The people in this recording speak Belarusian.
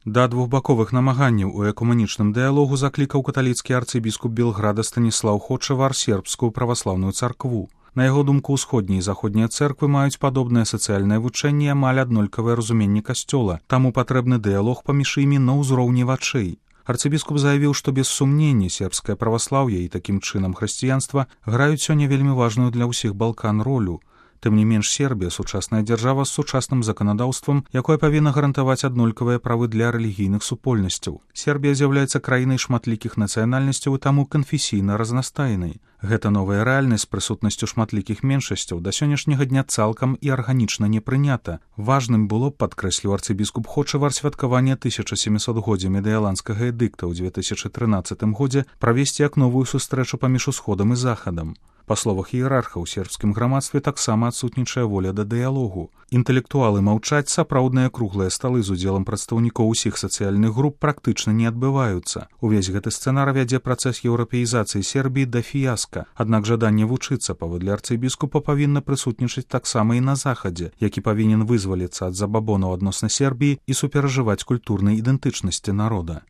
Да двухбаковых намаганняў у экуманічным дыялогу заклікаў каталіцкі арцыбіскуп Белграда Станіслаў Хочавар сербскую праваслаўную царкву. На яго думку, усходнія і заходнія цэрквы маюць падобнае сацыяльнае вучэнне, амаль аднолькавае разуменне касцёла, таму патрэбны дыялог паміж імі на ўзроўні вачэй. Арцыбіскуп заявіў, што без сумнення сербскае праваслаўе і такім чынам хрысціянства граюць сёння вельмі важную для ўсіх Балкан ролю. Тым не менш, Сербія — сучасная дзяржава з сучасным заканадаўствам, якое павінна гарантаваць аднолькавыя правы для рэлігійных супольнасцяў. Сербія з'яўляецца краінай шматлікіх нацыянальнасцяў і таму канфесійна разнастайнай. Гэта новая рэальнасць з прысутнасцю шматлікіх меншасцяў да сённяшняга дня цалкам і арганічна не прынята. Важным было, падкрэсліў арцыбіскуп Хочавар, святкаванне 1700-годдзя медыяландскага эдыкта ў 2013 годзе правесці як новую сустрэчу паміж усходам і захадам. Па словах іерарха, у сербскім грамадстве таксама адсутнічае воля да дыялогу. Інтэлектуалы маўчаць, сапраўдныя круглыя сталы з удзелам прадстаўнікоў усіх сацыяльных груп практычна не адбываюцца. Увесь гэты сцэнар вядзе працэс еўрапеізацыі Сербіі да фіяска. Аднак жаданне вучыцца, паводле арцыбіскупа, павінна прысутнічаць таксама і на захадзе, які павінен вызваліцца ад забабонаў адносна Сербіі і суперажываць культурнай ідэнтычнасці народа.